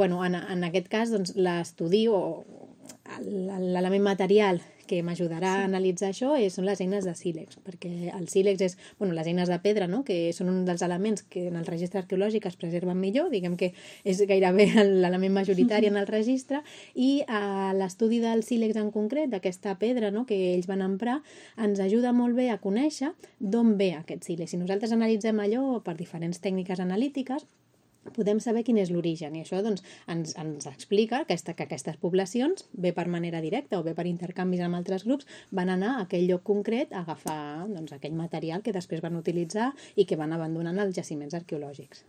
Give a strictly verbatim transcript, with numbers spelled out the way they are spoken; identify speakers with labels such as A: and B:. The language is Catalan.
A: Bueno, en, en aquest cas, doncs, l'estudi o l'element material que m'ajudarà sí. a analitzar això és, són les eines de sílex, perquè el sílex és, bueno, les eines de pedra, no?, que són un dels elements que en el registre arqueològic es preserven millor, diguem que és gairebé l'element majoritari en el registre, i eh, l'estudi del sílex en concret, d'aquesta pedra, no?, que ells van emprar, ens ajuda molt bé a conèixer d'on ve aquest sílex. Si nosaltres analitzem allò per diferents tècniques analítiques, podem saber quin és l'origen, i això doncs, ens, ens explica que, aquesta, que aquestes poblacions, bé per manera directa o bé per intercanvis amb altres grups, van anar a aquell lloc concret a agafar doncs, aquell material que després van utilitzar i que van abandonant als jaciments arqueològics.